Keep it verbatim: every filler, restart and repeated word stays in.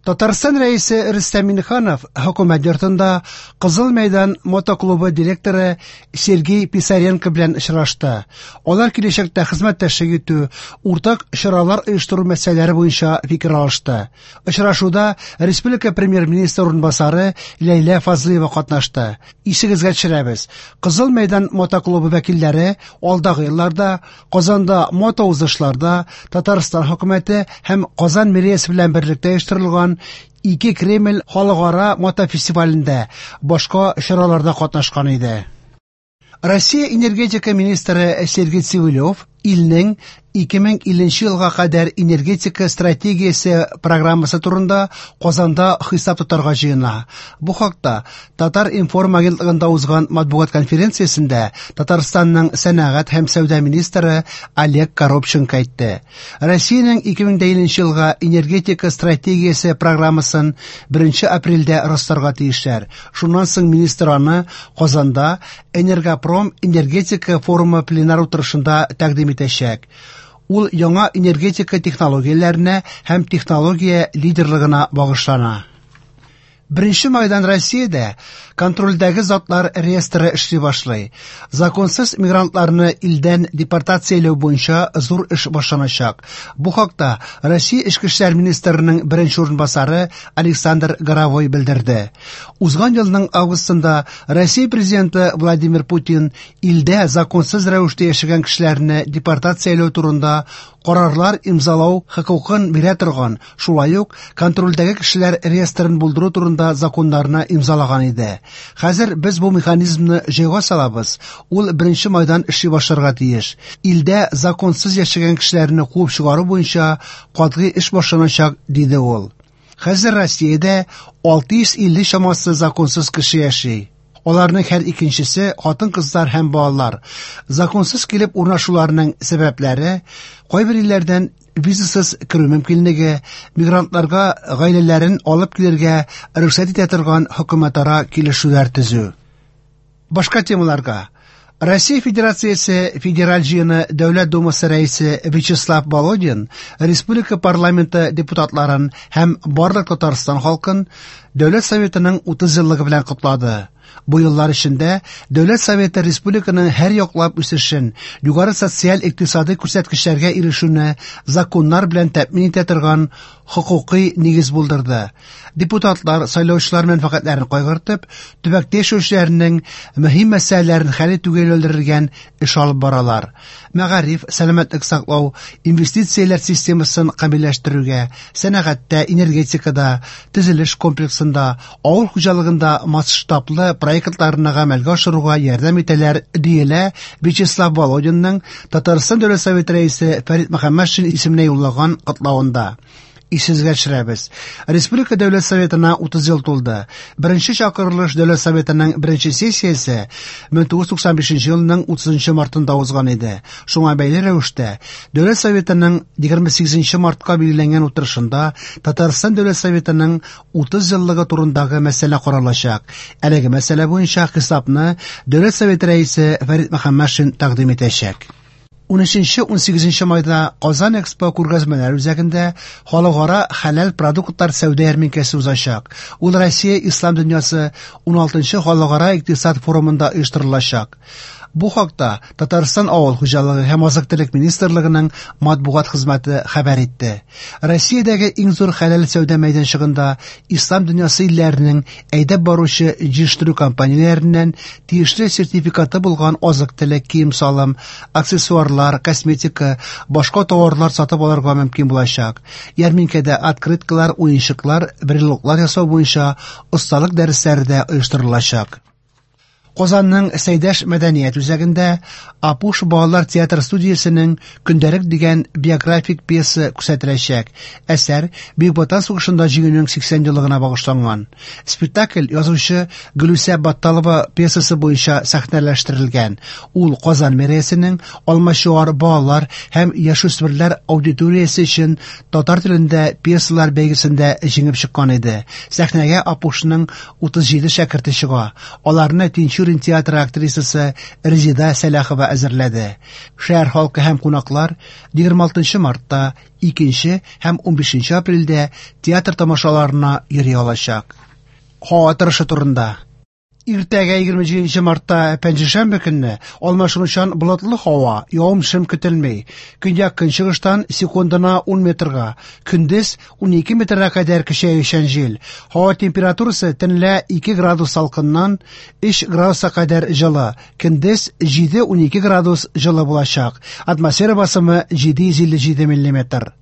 Татарстан Рәисе Рөстәм Миңнеханов Хөкүмәт йортында Кызыл мәйдан мотоклубы директоры Сергей Писаренко белән очрашты. Алар киләчәктә хезмәттәшлек итү, уртак чаралар оештыру мәсьәләләре буенча фикер алышты. Очрашуда республика премьер-министры урынбасары Ләйлә Фазлыева катнашты. Исегезгә төшерәбез, Кызыл мәйдан мотоклубы вәкилләре алдагы елларда Казанда мотоузышларда Татарстан хөкүмәте һәм Казан мэриясе белән берлектә оештырылган ике Кремль халыкара мотофестивалендә, башка чараларда катнашкан иде. Россия энергетика министры Сергей Цивилев илнең ике мең илленче елга кадәр энергетика стратегиясе программасы турында Казанда хисап тотарга җыена. Бу хакта Татар-информ агентлыгында узган матбугат конференциясендә Татарстанның сәнәгать һәм сәүдә министры Олег Коробченко әйтте. Россиянең ике мең илленче елга энергетика стратегиясе программасын беренче апрельдә расларга тиешләр. Шуннан соң министр аны Казанда Энергопром энергетика форумы пленар утырышында тәкъдим итәчәк. Ул яңа энергетика технологияләренә һәм технология лидерлыгына багышлана. Беренче майдан Россиядә контрольдәге затлар реестры эшли башлый. Законсыз мигрантларны илдән депортацияләү буенча зур эш башланачак. Бу хакта Россия Эчке эшләр министрының беренче урынбасары Александр Горовой белдерде. Узган елның августында Россия президенты Владимир Путин илдә законсыз рәвештә яшәгән кешеләрне депортацияләү турында карарлар имзалау хокукын бирә торган, шулай ук контрольдәге кешеләр реестрын булдыру турында законнарны имзалаган иде. Хәзер без бу механизмны җайга салабыз. Ул беренче майдан эшли башларга тиеш. Илдә законсыз яшәгән кешеләрне куып чыгару буенча катгый эш башланачак, диде ул. Хәзер Россиядә алты йөз илле чамасы законсыз кеше яши. Аларның һәр икенчесе хатын-кызлар һәм балалар. Законсыз килеп урнашуларының сәбәпләре кайбер илләрдән визасыз керү мөмкинлеге, мигрантларга гаиләләрен алып килергә рөхсәт итә торган хөкүмәтара килешүләр төзү. Башка темаларга. Россия Федерациясе Федераль җыены Дәүләт Думасы рәисе Вячеслав Володин республика парламенты депутатларын һәм барлык Татарстан халкын Дәүләт Советының утыз еллыгы белән котлады. Бу еллар эчендә Дәүләт Советы республиканың һәр яклап үсешен, югары социаль-икътисади күрсәткечләргә ирешүне законнар белән тәэмин итә торган хокукый нигез булдырды. Депутатлар сайлаучылар мәнфәгатьләрен кайгыртып, төбәктә яшәүчеләрнең мөһим мәсьәләләрен хәл итүгә юнәлдерелгән эш алып баралар. Мәгариф, сәламәтлек саклау, инвестицияләр системасын камилләштерүгә, сәнәгатьтә, энергетикада, төзелеш комплексында, авыл хуҗалыгында масштаблы проектларны гамәлгә ашыруга ярдәм итәләр, диелә Вячеслав Володинның Татарстан Дәүләт Советы рәисе Фәрит Мөхәммәтшин исеменә юллаган котлавында. Исегезгә төшерәбез. Республика Дәүләт Советына утыз ел тулды. Беренче чакырылыш Дәүләт Советының беренче сессиясе мең тугыз йөз туксан бишенче елның утызынчы мартында узган иде. Шуңа бәйле рәвештә Дәүләт Советының егерме сигезенче мартка билгеләнгән утырышында Татарстан Дәүләт Советының утыз еллыгы турындагы мәсьәлә каралачак. Әлеге мәсьәлә буенча хисапны Дәүләт Советы рәисе Фәрит Мөхәммәтшин тәкъдим итәчәк. Унөченче, унсигезенче майда Казан Экспо күргәзмәләр үзәгендә халыкара хәләл продуктлар сәүдә ярминкәсе узачак. Ул Россия Ислам дөньясы уналтынчы халыкара икътисад форумында оештырылачак. Бу хакта Татарстан Авыл хуҗалыгы һәм азык-төлек министрлыгының матбугат хезмәте хәбәр итте. Россиядәге иң зур хәләл сәүдә мәйданчыгында Ислам дөньясы илләренең әйдәп баручы җитештерү компанияләреннән тиешле сертификаты булган азык-төлек, кием-салым, аксессуарлар, косметика, башка товарлар сатып алырга мөмкин булачак. Ярминкәдә открыткалар, уенчыклар, брелоклар ясау буенча осталык дәресләре дә оештырылачак. Казанның Сәйдәш мәдәният үзәгендә Апуш балалар театр студиясенең Көндәлек дигән биографик пьеса күрсәтеләчәк. Әсәр Бөек Ватан сугышында җиңүнең сиксән еллыгына багышланган. Спектакль язучы Гөлүсә Батталова пьесасы буенча сәхнәләштерелгән. Ул Казан мэриясенең Алмачуар балалар һәм яшүсмерләр аудиториясе өчен татар телендә пьесалар бәйгесендә җиңеп чыккан иде. Сәхнәгә Апушның утыз җиде шәкерте чыга. Аларны Тинчурин Тинчурин театры актрисасы Резеда Сәлахова әзерләде. Шәһәр халкы һәм кунаклар егерме алтынчы мартта, икенче һәм унбишенче апрельдә театр тамашаларына йөри алачак. Һава торышы турында. Иртәгә егерме җиденче мартта пәнҗешәмбе көнне алмашынучан болытлы һава, явым-төшем көтелми. Көньяк көнчыгыштан секундына ун метрга, көндез унике метрга кадәр көчәючән җил. Һава температурасы төнлә ике градус салкыннан өч градуска кадәр җылы, көндез җиде-унике градус җылы булачак. Атмосфера басымы җиде йөз илле җиде миллиметр.